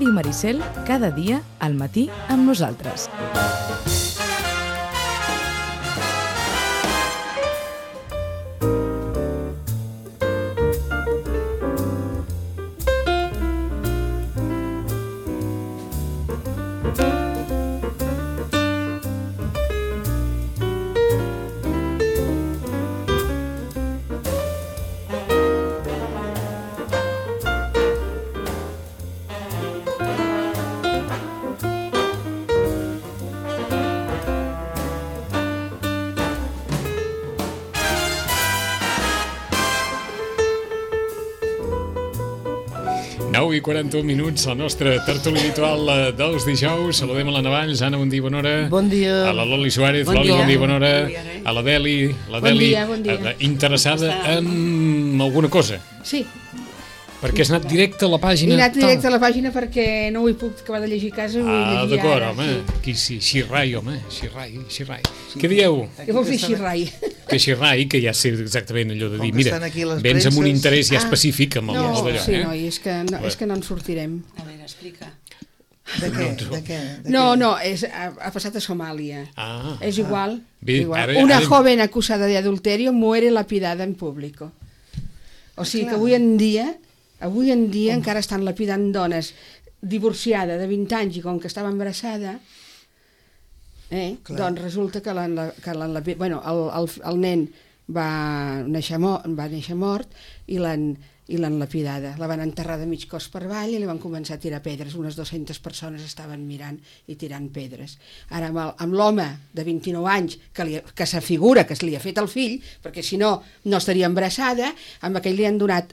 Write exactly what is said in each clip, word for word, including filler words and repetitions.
Ràdio Maricel, cada dia al matí amb nosaltres. nou i quaranta-un minuts, la nostra tertúlia habitual dels dijous. Saludem a la Navalls. Anna, bon dia, bona hora. Bon dia. A la Loli Suárez. Bon Loli, dia. bon dia, bona hora. Bon dia, eh? A la Deli. La Bon Deli, dia, bon dia. eh, interessada en alguna cosa. Sí, Perquè has anat directe a la pàgina. he anat tal. directe a la pàgina perquè no ho he pogut acabar de llegir a casa. Ho vull Ah, llegir d'acord, ara, home. sí. Aquí sí, Xirrai, home. Xirrai, Xirrai. Què dieu? Què vol fer Xirrai? Que Xirrai, que ja sé exactament allò de Com dir, que mira, estan aquí les vens amb un premses. interès ja Ah, específic amb el No, amb d'allò, sí, eh? noi, és que no, és que no en sortirem. A veure, explica. De què? De què? De No, què? no, és, ha, ha passat a Somàlia. Ah, És igual. Bé, igual. ara- Una ara- joven acusada de adulterio muere lapidada en público. O sigui que avui en dia, avui en dia encara estan lapidant dones divorciada de vint anys i com que estava embarassada, eh, Clar. doncs resulta que l'han que l'han lapidat. Bueno, el, el, el nen va néixer, mo va néixer mort i l'han i l'han lapidada. La van enterrar de mig cos per avall i li van començar a tirar pedres. Unes dues-centes persones estaven mirant i tirant pedres. Ara, amb el- amb l'home de vint-i-nou anys, que, li, que s'afigura que se li ha fet el fill, perquè si no, no estaria embarassada, amb aquell li han donat,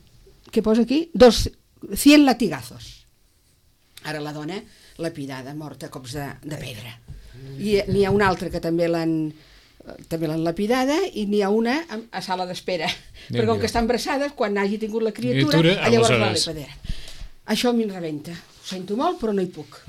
què posa aquí? Dos, cien latigazos. Ara la dona lapidada, morta a cops de, de pedra. I n'hi ha una altra que també l'han també l'han lapidada i n'hi ha una a, a sala d'espera. Perquè com que està embarassada, quan hagi tingut la criatura, Criatura, llavors la aleshores. lapidarà. Això a mi em rebenta. Ho sento molt, però no hi puc.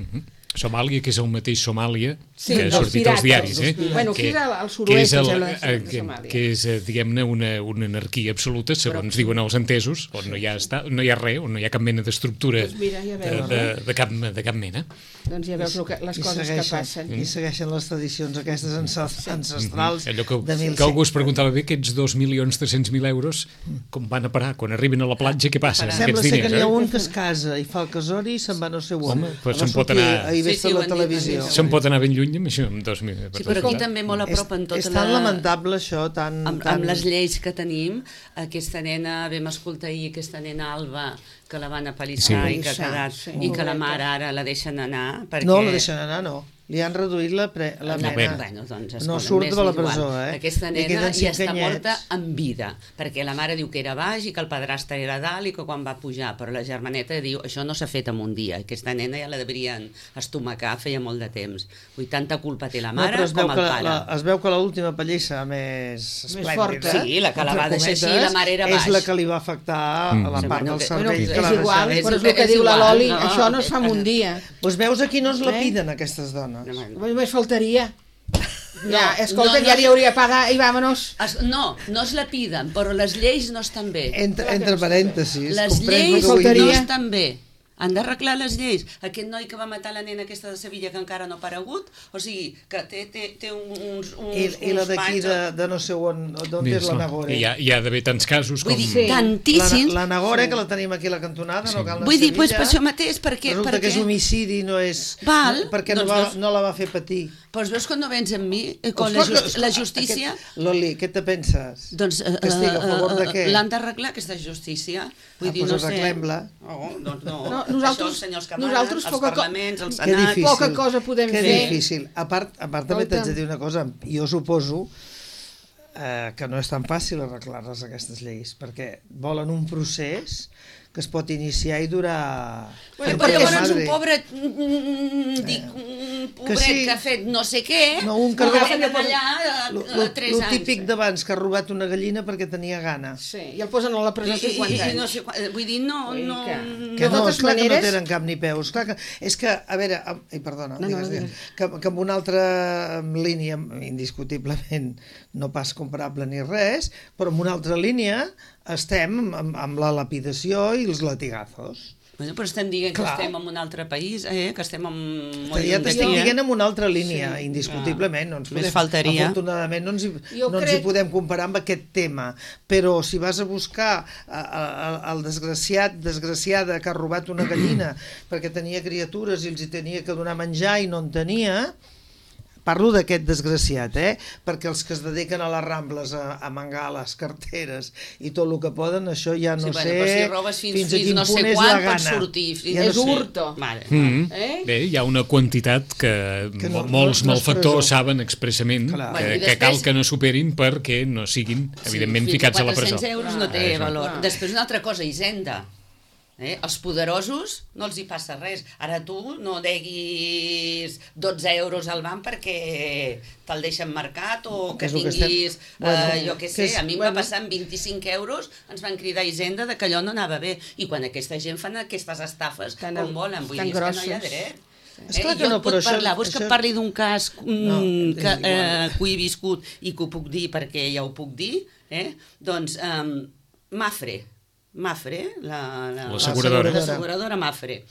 Somàlia, que és el mateix Somàlia Sí, que ha dels sortit pirates, als diaris, eh? dels pirates. Bueno, aquí és al- al que suroest, és, el, em sembla, de eh, que, Somàlia. que és eh, diguem-ne, una, una anarquia absoluta, segons diuen els entesos, on no hi ha, esta, no hi ha res, on no hi ha cap mena d'estructura Doncs mira, ja de, veus, de, eh? de, cap, de cap mena. Doncs ja veus lo que, les I coses que segueixen- passen. I segueixen les tradicions aquestes ances- ancestrals Allò que, de mil que algú es preguntava bé, aquests dos milions tres-cents mil euros, com van a parar? Quan arriben a la platja, què passa? amb Sembla aquests ser que diners? n'hi ha Eh? un que es casa i fa el casori i se'n va no sé on. Home, pues Va se'n pot sortir anar- ahir Sí, vist sí, a ho la han dit, televisió. ho han dit. Se'n pot anar ben lluny amb això, amb dos mil... Sí, però aquí també molt a És, prop en tota és tan la... lamentable això, tan... Amb, tan... amb les lleis que tenim, aquesta nena, vam escoltar ahir aquesta nena Alba, que la van apallissar Sí. i que ha quedat, Sí. i que la mare ara la deixen anar, perquè... No, la deixen anar, no. Li han reduït la, pre... la La pena. pena. Bueno, doncs, No escolta, surt m'és de la igual. presó, eh? Aquesta Li nena queden ja cinc està anyets. morta en vida, perquè la mare diu que era baix i que el padrastre era dalt i que quan va pujar, però la germaneta diu això no s'ha fet en un dia, aquesta nena ja la deurien estomacar feia molt de temps. Vull dir, tanta culpa té la No, mare però es veu, com que el la, pare. la, es veu que l'última pallissa més esplèndida, forta. Sí, la que la entre va deixar així, cometes, la mare era és baix. la que li va afectar Mm. a la Sí, part bueno, del que- cervell Bueno, que és la igual, deixava. és- però és el que és diu la igual, Loli, no? això no es fa en un dia. Doncs veus, aquí no es Eh? lapiden aquestes dones. Només faltaria. No, Ja, escolta, no, no. ja li hauria pagat i vámonos. Es, no, no es la piden, però les lleis no estan bé. Entre, entre parèntesis, Les comprens el lleis que vull no dir? faltaria. estan bé. Han d'arreglar les lleis. Aquest noi que va matar la nena aquesta de Sevilla que encara no ha aparegut, o sigui, que té, té, té uns, uns, I, i la uns d'aquí panys... de, de no sé on, d'on Mira, és la Nagore. Hi ha, hi ha d'haver tants casos com... Vull dir, Sí. tantíssims. La, la Nagore, que la tenim aquí a la cantonada, no cal anar Vull a dir, doncs Sevilla. per això mateix, perquè... Resulta perquè... que és homicidi, no és... Val, perquè no, doncs va, veus- no la va fer patir. Doncs veus quan no vens amb mi, eh, quan la, Escolta, just, la escolta, justícia... Aquest, Loli, què te penses? Doncs eh, Que estic a favor de eh, què? l'han d'arreglar, aquesta justícia. Vull Ah, dir, doncs no sé... arreglem-la. Oh, doncs no. No, Això, nosaltres- els senyors que manen, nosaltres els poca co- parlaments, els Que senats... difícil. Poca cosa podem que fer. difícil. A part, a part també Escolta. t'haig de dir una cosa. Jo suposo eh, que no és tan fàcil arreglar-les aquestes lleis, perquè volen un procés que es pot iniciar i durar... Bueno, Perquè, però llavors un madre, pobre, mm, dic, un pobret sí. que ha fet no sé què, No, un que ho roba- agafen allà a, Lo, a, lo, a tres lo anys. típic d'abans, que ha robat una gallina perquè tenia gana. Sí, i el posen a la I, presó i, cinquanta i, anys. no sé, quan- vull dir, no... Vull dir no, que- Que De no, totes esclar que no maneres- tenen cap ni peus. Clar que, és que, a veure, am- ai, perdona, No, no, digues, digues. digues, que, que amb una altra línia, indiscutiblement, no pas comparable ni res, però amb una altra línia estem amb, amb la lapidació i els latigazos. Bueno, però estem dient que Clar. estem en un altre país, eh? que estem en... Ja t'estic dient en una altra línia, Sí. indiscutiblement. No ens Només podem, faltaria. Afortunadament no ens, hi, Jo no ens crec- hi podem comparar amb aquest tema, però si vas a buscar a, a, a, el desgraciat, desgraciada que ha robat una gallina perquè tenia criatures i els hi tenia que donar menjar i no en tenia... Parlo d'aquest desgraciat, eh? Perquè els que es dediquen a les Rambles a, a mangar les carteres i tot el que poden, això ja no sí, bueno, sé però si robes fins, fins a fins quin no sé punt és quan la pots gana. sortir. Fins Ja no És sé. hurto. Vale. Mm. Eh? Bé, hi ha una quantitat que, Que no- molts no- no és malfactors presó. saben expressament Clar. que, Bueno, i que cal després- que no superin perquè no siguin, evidentment, Sí, ficats a la presó. quatre-cents euros no té Ah, això. valor. Clar. Després una altra cosa, Hisenda. Eh? Els poderosos no els hi passa res. Ara tu no deguis dotze euros al banc perquè te'l deixen marcat o que És el que tinguis, estem- bueno, eh, jo què que sé, és- a mi em bueno. va passar amb vint-i-cinc euros, ens van cridar a Hisenda de que allò no anava bé. I quan aquesta gent fan aquestes estafes Tan- com volen, vull tan dir, és que no hi ha grossos. dret. És clar Eh? que jo no, et puc però això- parlar, vols que això- et parli d'un cas mm, No, és que, igual. eh, que ho he viscut i que ho puc dir perquè ja ho puc dir, eh? Doncs um, Mafre, Mafre, la, la, L'asseguradora. l'asseguradora Mafre,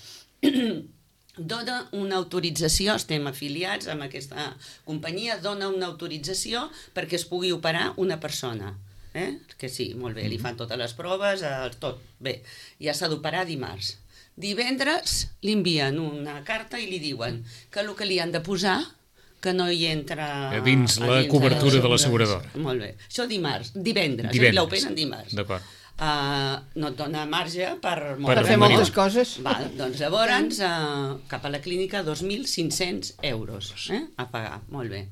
dona una autorització, estem afiliats amb aquesta companyia, dona una autorització perquè es pugui operar una persona. Eh? Que sí, molt bé, li fan totes les proves, eh, tot, bé, ja s'ha d'operar dimarts. Divendres li envien una carta i li diuen que el que li han de posar que no hi entra... A dins a la dins cobertura de l'assegurança. l'asseguradora. Molt bé. Això divendres, divendres, Divendres. eh? l'operen dimarts. D'acord. Uh, no et dona marge per... Per Per fer morir. moltes coses. Val, doncs llavors, uh, cap a la clínica, dos mil cinc-cents euros eh? a pagar, molt bé.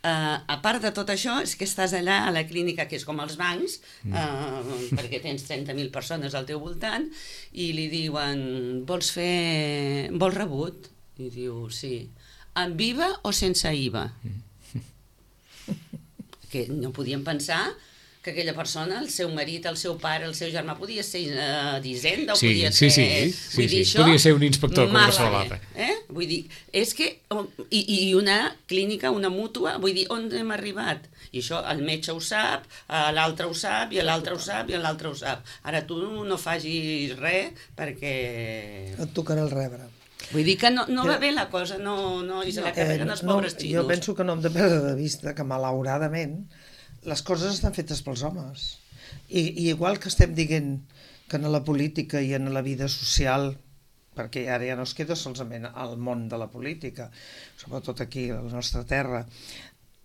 Uh, a part de tot això, és que estàs allà a la clínica, que és com els bancs, uh, perquè tens trenta mil persones al teu voltant, i li diuen, vols fer... vols rebut? I diu, sí. Amb I V A o sense I V A? Que no podien pensar que aquella persona, el seu marit, el seu pare, el seu germà, podia ser uh, d'Hisenda o Sí, podia sí, ser... sí, sí, Vull dir, sí. això, Podia ser un inspector com mare, qualsevol altre. Eh? Vull dir, és que... I, I una clínica, una mútua, vull dir, on hem arribat? I això el metge ho sap, eh, l'altre ho sap, i l'altre ho sap, i l'altre ho sap. Ara tu no facis res perquè... Et tocarà el rebre. Vull dir que no, no va bé la cosa, no, no, i se la carreguen els no, pobres xinos. jo penso que no hem de perdre de vista que, malauradament, les coses estan fetes pels homes. I, i igual que estem dient que en la política i en la vida social, perquè ara ja no es queda solament al món de la política, sobretot aquí a la nostra terra,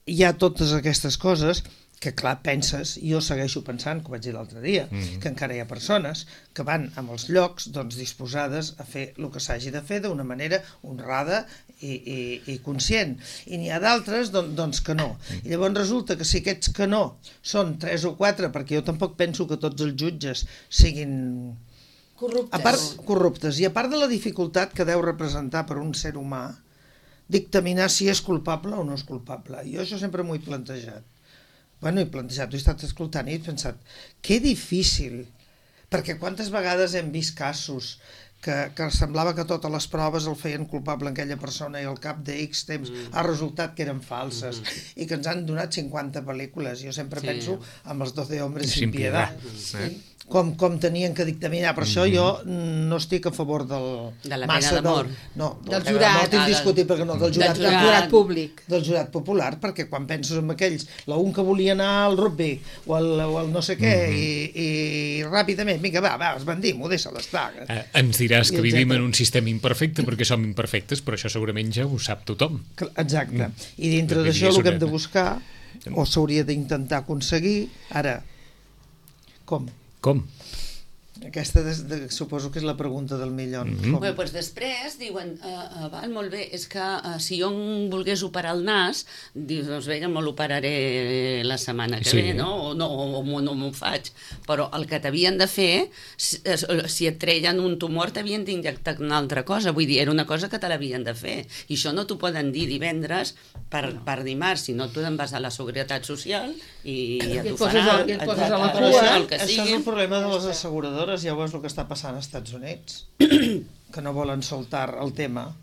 hi ha totes aquestes coses que, clar, penses, i jo segueixo pensant, que ho vaig dir l'altre dia, mm-hmm. que encara hi ha persones que van amb els llocs doncs, disposades a fer el que s'hagi de fer d'una manera honrada i, i, i conscient. I n'hi ha d'altres doncs, doncs que no. I llavors resulta que si aquests que no són tres o quatre, perquè jo tampoc penso que tots els jutges siguin Corruptes. a part, corruptes, i a part de la dificultat que deu representar per un ser humà dictaminar si és culpable o no és culpable. Jo això sempre m'ho he plantejat. Bueno, he plantejat, he estat escoltant i he pensat, que difícil, perquè quantes vegades hem vist casos que, que semblava que totes les proves el feien culpable en aquella persona i al cap de X temps mm. ha resultat que eren falses mm. i que ens han donat cinquanta pel·lícules. Jo sempre Sí. penso amb els doce hombres Sin sin piedad. piedad. Eh? Com, com tenien que dictaminar. Per això jo no estic a favor del... De la massa pena de mort. Del, no, Del de la jurat. mort indiscutible, que no, del jurat, Del Del jurat. jurat públic. del jurat popular, perquè quan penses en aquells, la un que volia anar al rugby o al, o al no sé què, mm -hmm. i, i ràpidament, vinga, va, va, es bandim-ho, deixa-la estar. Eh, ens diràs que I vivim etcètera. en un sistema imperfecte perquè som imperfectes, però això segurament ja ho sap tothom. Exacte. I dintre Vull dir, d'això és el que hem una- de buscar, o s'hauria d'intentar aconseguir, ara, com? Com? Aquesta des, de, suposo que és la pregunta del milió. Mhm. Com? Bé, doncs després diuen, uh, uh, val, molt bé, és que uh, si jo em volgués operar el nas, dius, doncs bé, me l'operaré la setmana que Sí. ve, no? O no, o, o no m'ho faig. Però el que t'havien de fer, si, si et treien un tumor, t'havien d'injectar una altra cosa. Vull dir, era una cosa que te l'havien de fer. I això no t'ho poden dir divendres per, no. per dimarts, sinó tu te'n vas a la Seguretat Social i ja I et t'ho poses faran. a- i et poses a la et- cua. això, el que Això és sigui. el problema de les asseguradores, ja veus el que està passant als Estats Units, que no volen soltar el tema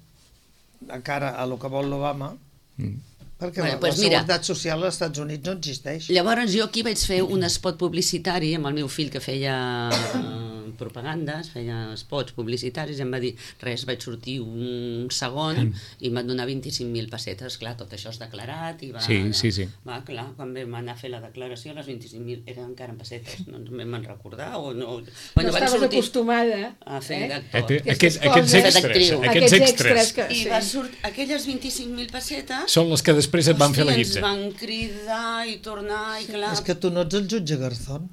de cara a lo que vol l'Obama, Mm. Perquè Bueno, la, pues la mira. seguretat social als Estats Units no existeix. Llavors jo aquí vaig fer un spot publicitari amb el meu fill que feia eh, propagandes, feia spots publicitaris, i em va dir, res, vaig sortir un segon i em van donar vint-i-cinc mil pessetes. Clar, tot això és declarat i va... Sí, sí, sí. Va, clar, quan vam anar a fer la declaració, les vint-i-cinc mil eren encara en pessetes, no ens vam recordar o no... No estaves acostumada a fer eh? d'actor. Aquest, Aquestes aquests, aquests coses. extras, D'actriu. aquests extras que, I sí. va surt aquelles vint-i-cinc mil pessetes... són les que després et van fer la Hòstia, guitza. ens van cridar i tornar i clar... És que tu no ets el jutge Garzón,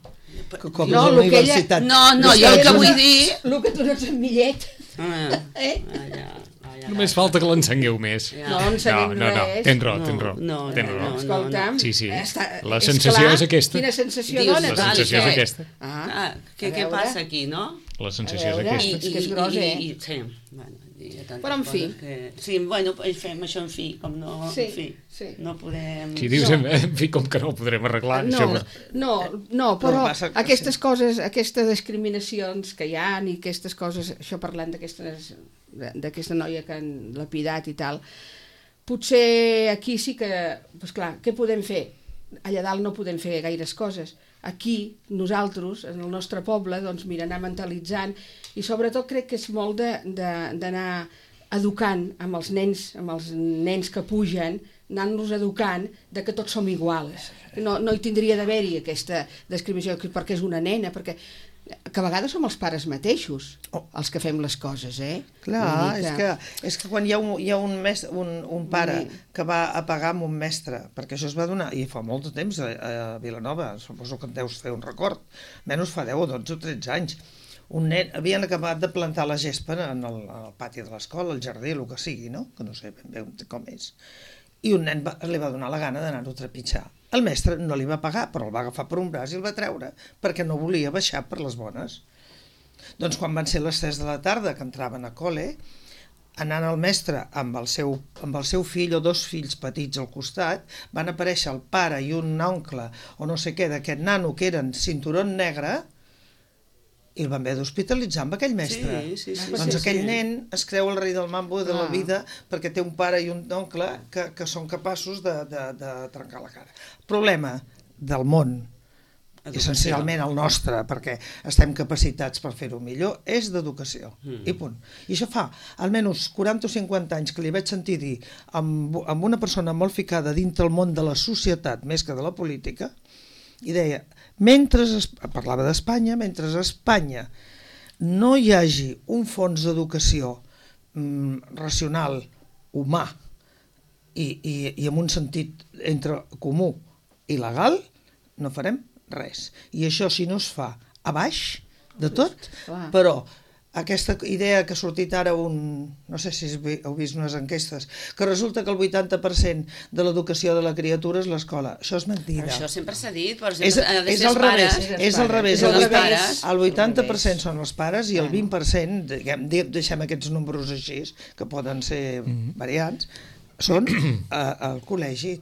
que com No, és a la lo que ella- universitat... No, no, jo el que vull dir... El que tu no ets en Millet. Ah, Eh? allà, allà, Només falta que l'encengueu més. Ja. No, no ensenyem no, no, res. tens raó, No, tens raó. no, tens no, raó. no. Escolta'm, Sí, sí. està, La és sensació clar, és aquesta. Quina sensació Dius, dona? La Val, sensació és què? aquesta. Ah, Ah, què, a què veure. passa aquí, no? La sensació A és veure. aquesta. És que és gros, eh? I, i, sí, bueno, hi ha tantes Però en fi. coses Que... Sí, bueno, fem això en fi, com no... Sí, en fi, sí. no podem... Si dius, No. en fi, com que no ho podrem arreglar, No, això... no, no, però passa que aquestes coses, aquestes discriminacions que hi ha i aquestes coses, això parlant d'aquestes d'aquesta noia que han lapidat i tal, potser aquí sí que, doncs clar, què podem fer? Allà dalt no podem fer gaires coses. Aquí, nosaltres, en el nostre poble, doncs mira, anar mentalitzant i sobretot crec que és molt d'anar educant amb els nens, amb els nens que pugen, anant-los educant de que tots som iguals. No, no hi tindria d'haver-hi aquesta discriminació perquè és una nena, perquè que a vegades som els pares mateixos Oh. els que fem les coses, eh? Clar, Vull dir és que, és que quan hi ha un, hi ha un, mes, un, un pare que va a pagar amb un mestre, perquè això es va donar, i fa molt de temps a, a Vilanova, suposo que en deus fer un record, menys fa deu o dotze o tretze anys, un nen, havien acabat de plantar la gespa en el, en el pati de l'escola, el jardí, el que sigui, no? Que no sé ben bé com és. I un nen va, li va donar la gana d'anar-ho a trepitjar. El mestre no li va pagar, però el va agafar per un braç i el va treure, perquè no volia baixar per les bones. Doncs quan van ser les tres de la tarda, que entraven a col·le, anant el mestre amb el, seu, amb el seu fill o dos fills petits al costat, van aparèixer el pare i un oncle o no sé què d'aquest nano que eren cinturón negre i el van haver d'hospitalitzar amb aquell mestre. Sí, sí, sí, doncs sí, aquell sí. nen es creu el rei del mambo de la Ah. vida perquè té un pare i un oncle que, que són capaços de, de, de trencar la cara. El problema del món, Educació. essencialment el nostre, perquè estem capacitats per fer-ho millor, és d'educació. Mm. I punt. I això fa almenys quaranta o cinquanta anys que li vaig sentir dir amb, amb una persona molt ficada dintre el món de la societat més que de la política, i deia, mentre es, parlava d'Espanya, mentre a Espanya no hi hagi un fons d'educació mm, racional, humà i, i, i amb un sentit entre comú i legal, no farem res. I això si no es fa a baix de tot, Clar. però aquesta idea que ha sortit ara un... no sé si heu vist unes enquestes, que resulta que el vuitanta per cent de l'educació de la criatura és l'escola. Això és mentida. Això sempre s'ha dit, però És, sempre ha de és ser al els revés, pares. és al revés. És al El, revés. vuitanta- el vuitanta per cent Al revés. són els pares i el vint per cent, diguem, de- deixem aquests números així, que poden ser variants, són eh, al col·legi.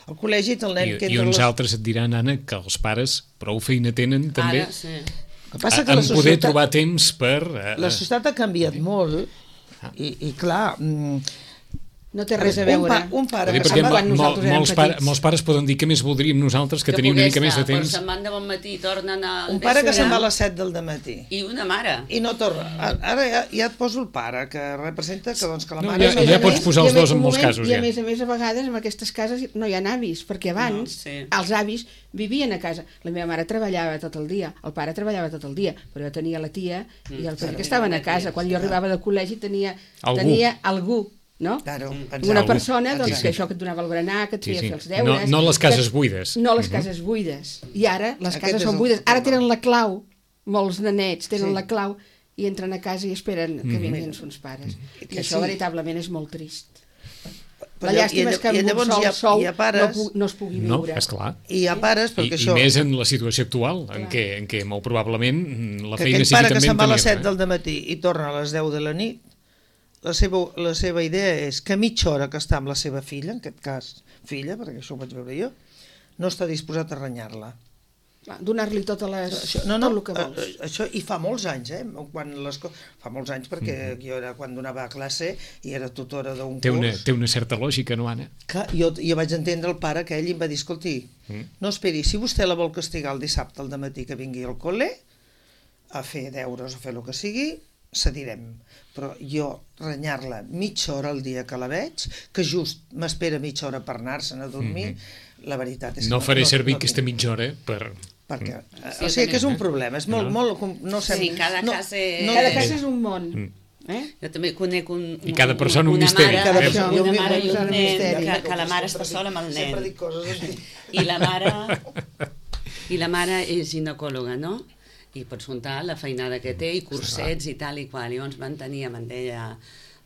Al col·legi té el nen I, que I entra uns les... altres et diran, Anna, que els pares prou feina tenen també Ara, sí. El que passa a, que la en poder societat, trobar temps per... Eh, la societat ha canviat molt i, i clar... Mm, No té res a un, veure. pa, un pare Dir, que perquè se'n va... quan mo, nosaltres érem molts, pare, petits. molts pares poden dir que més voldríem nosaltres que, que tenim una poder mica més de estar, temps. Però se'n van de bon matí i tornen al Un pare que vespre. se'n va a les set del dematí I una mare. i no torna. Ara ja, ja et poso el pare, que representa que, doncs, que la No, mare... ja- A més ja a pots més- posar i a els més- dos en un molts moment, casos, I a ja. més a més, a vegades, en aquestes cases no hi ha avis, perquè abans No, sí. els avis vivien a casa. La meva mare treballava tot el dia, el pare treballava tot el dia, però jo tenia la tia i el pare que estaven a casa. Quan jo arribava de col·legi tenia Algú. tenia algú, no? Claro, Una exacte. persona doncs, Sí, sí. que això que et donava el berenar, que et Sí, feia sí. fer els deures... No- no les cases que- buides. No les Mhm. cases buides. I ara les Aquest cases és són el buides. Ara tema. tenen la clau, molts nenets tenen Sí. la clau i entren a casa i esperen que Mhm. vinguin sons pares. I Que això sí. veritablement és molt trist. Però La lla- llàstima i és que amb un llavors sol hi ha, sou hi ha no, pares, pu no es pugui No, viure. esclar. i hi ha pares, I, perquè I això... més en la situació actual, en què, en què molt probablement mm, la que feina aquell sigui pare que també se'n va a en les set tenir-ne. del dematí i torna a les deu de la nit, la seva, la seva idea és que mitja hora que està amb la seva filla, en aquest cas filla, perquè això ho vaig veure jo, no està disposat a renyar-la. donar-li totes les, això, no, no, tot el que vols. eh, això, i fa molts anys, eh? Quan les, fa molts anys perquè mm. jo era quan donava classe i era tutora d'un té una, curs. té una certa lògica, no, Anna? Que jo, jo vaig entendre el pare que ell em va dir, escolti, mm. no esperi, si vostè la vol castigar el dissabte al dematí que vingui al col·le a fer deures o fer el que sigui, cedirem. Però jo renyar-la mitja hora al dia que la veig, que just m'espera mitja hora per anar-se'n a dormir, mm-hmm. la veritat és que no faré no, servir no, aquesta mitja hora per... perquè, Sí, o sigui que és un problema, és molt, No. molt, no sé, Sí, cada no, cas és- no, Cada cas és un món. Mm. Eh? Jo també conec un, I cada persona un una misteri. Mare, Cada una persona una un mare i un nen, misteri. que, que la mare està sola amb el Sempre nen. dic coses així. I la mare, i la mare és ginecòloga, no? I pots comptar la feinada que té i cursets i tal i qual. I llavors van tenir, em deia,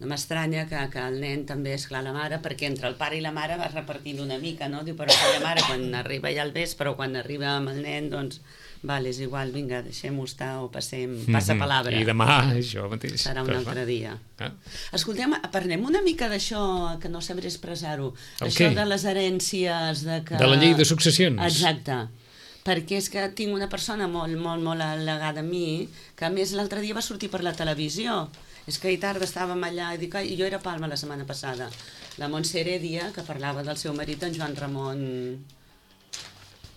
no m'estranya que, que el nen també, és clar, la mare, perquè entre el pare i la mare vas repartint una mica, no? Diu, però la mare quan arriba ja al vespre o quan arriba amb el nen, doncs, vale, és igual, vinga, deixem-ho estar o passem, passa palabra. I demà això mateix. Serà un altre dia. Ah. Escoltem, parlem una mica d'això, que no sabré expressar-ho. El Això què? de les herències... De, que... De la llei de successions. Exacte. Perquè és que tinc una persona molt, molt, molt al·legada a mi, que a més l'altre dia va sortir per la televisió. És que ahir tarda estàvem allà, i dic, ai, jo era a Palma la setmana passada. La Montse Heredia, que parlava del seu marit, en Joan Ramon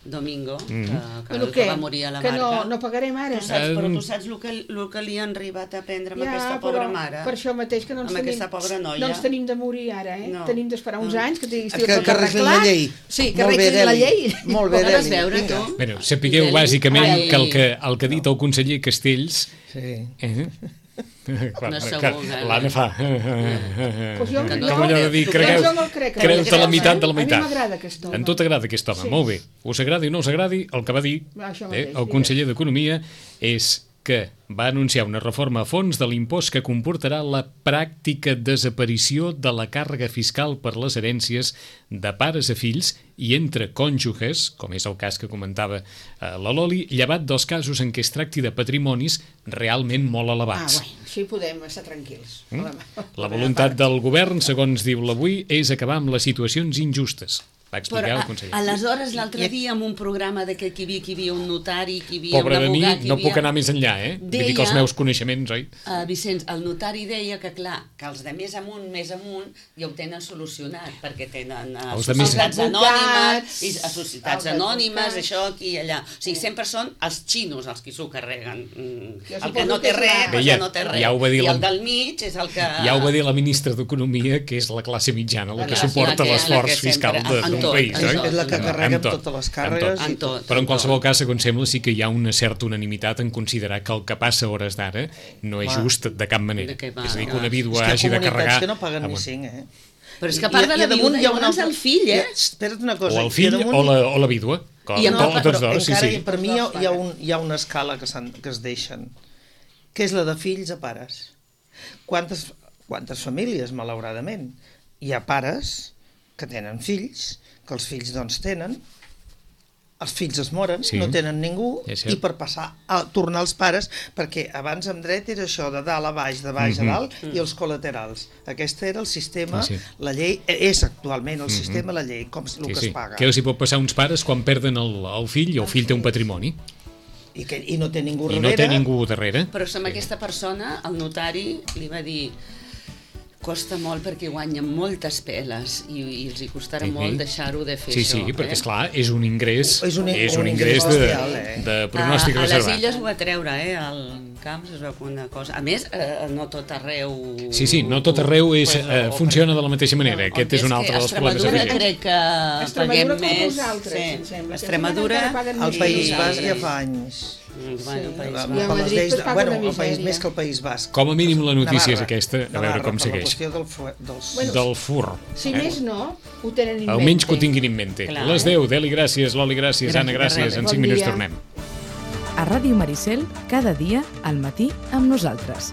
Domingo, mm. que, que, Però que què? va morir a la Que no, Marca. no pagarem ara? Tu saps, però Um, tu saps el que, el que li han arribat a prendre amb Ja, aquesta pobra però mare? per això mateix que no ens Amb tenim, aquesta pobra noia. no ens tenim de morir ara, eh? No. Tenim d'esperar uns No. anys que estigui Que- tot que arreglin la arreglat. llei. Sí, que Molt bé, arreglin la Deli. llei. Molt bé, Ho vas Deli. veure, Vinga. tu? Bueno, sapigueu Deli. bàsicament Ai. que el que, el que ha dit el conseller Castells... Sí. Eh? Clar, No que segur, eh? l'Anna fa... Pues jo, Que no- Com allò de dir, tu cregueu, jo me'l crec, creu-te la eh? meitat de la A mi meitat. m'agrada aquest home. En tot agrada aquest home, Sí. molt bé. Us agradi o no us agradi, el que va dir Això eh, mateix, el sí. conseller d'Economia és que va anunciar una reforma a fons de l'impost que comportarà la pràctica desaparició de la càrrega fiscal per les herències de pares a fills i entre cònjuges, com és el cas que comentava eh, la Loli, llevat dels casos en què es tracti de patrimonis realment molt Ah, elevats. bueno, així podem estar tranquils. Mm? La voluntat del govern, segons diu l'Avui, és acabar amb les situacions injustes. Va explicar Però el a, conseller. aleshores l'altre dia en un programa de que aquí hi havia, aquí hi havia un notari, que hi havia Pobre un de mi, abogat, hi no havia... puc anar més enllà, eh? Vull dir que els Deia- meus coneixements, oi? Uh, Vicenç, el notari deia que, clar, que els de més amunt, més amunt, ja ho tenen solucionat, perquè tenen uh, Els de més- societats Els anònimes, i advocats, a societats els anònimes, advocats. això, aquí i allà. O sigui, sempre són els xinos els qui s'ho carreguen. Mm. Jo El que suposo no que té és res, la- pues Bé, ja- ja no té res. ja ho va dir I la- el del mig és el que... Ja ho va dir la ministra d'Economia, que és la classe mitjana, la que La- suporta la que- la l'esforç que fiscal sempre- de- en d'un tot, país, en oi? tot. És la que En carrega amb tot, totes les en càrregues. tot. En tot. Però en qualsevol cas, segons sembla, sí que hi ha una certa unanimitat en considerar que el que passa a hores d'ara no és Clar. just de cap manera. De què va, És a dir, que clar. una vídua És que hagi hi ha de carregar... comunitats que no paguen Ah, ni bueno. cinc, eh? Però és que a part de la damunt viuda, hi ha un llavors altre- el fill, eh? hi ha- Espera't una cosa. O el i a fill damunt o la, o la vídua. Com, I amb to- el- tots però dos, sí, encara sí. hi- per mi hi ha, hi, ha un, hi ha una escala que, s'han- que es deixen, que és la de fills a pares. Quantes, quantes famílies, malauradament, hi ha pares que tenen fills, que els fills doncs tenen, els fills es moren, Sí. no tenen ningú, És cert. i per passar a tornar als pares, perquè abans amb dret era això de dalt a baix, de baix Mhm. a dalt, i els col·laterals. Aquest era el sistema, Sí, sí. la llei, és actualment el sistema, la llei, com el Sí, que sí. es paga. Què els hi pot passar a uns pares quan perden el, el fill i el fill té un patrimoni I, que, I no té ningú i darrere. no té ningú darrere? Però amb aquesta persona, el notari li va dir costa molt perquè guanyen moltes peles i, i els hi costarà Sí. molt deixar-ho de fer Sí, això. sí, perquè, eh? esclar, és un ingrés, És un- és un un ingrés ingrés de, bestial, eh? de pronòstic a, a les reservat. illes ho va treure, eh? Al Camps es veu una cosa. A més, eh, no tot arreu... Sí, sí, no tot arreu és, Pues, eh, o- funciona de la mateixa manera. Aquest és un altre dels problemes Extremadura afegits. crec que Extremadura paguem com més. vosaltres, em sembla, que Extremadura... encara paguen Al més País que Basc ja nosaltres. fa anys. Mm, Bueno, Sí. País I Basc. a Per les Madrid lleis es de- paga bueno, una el país misèria. més que el País Basc. Com a mínim la notícia és Navarra. aquesta, a veure Navarra, com per segueix. La qüestió del, fu- dels... Bueno, Del fur. Si més no, ho tenen en Almenys que ho mente. tinguin en mente. Clar. Les deu, Deli, gràcies, Loli, gràcies, Gràcies, Anna, de gràcies. res. En Bon cinc minuts dia. tornem. A Ràdio Maricel, cada dia al matí amb nosaltres.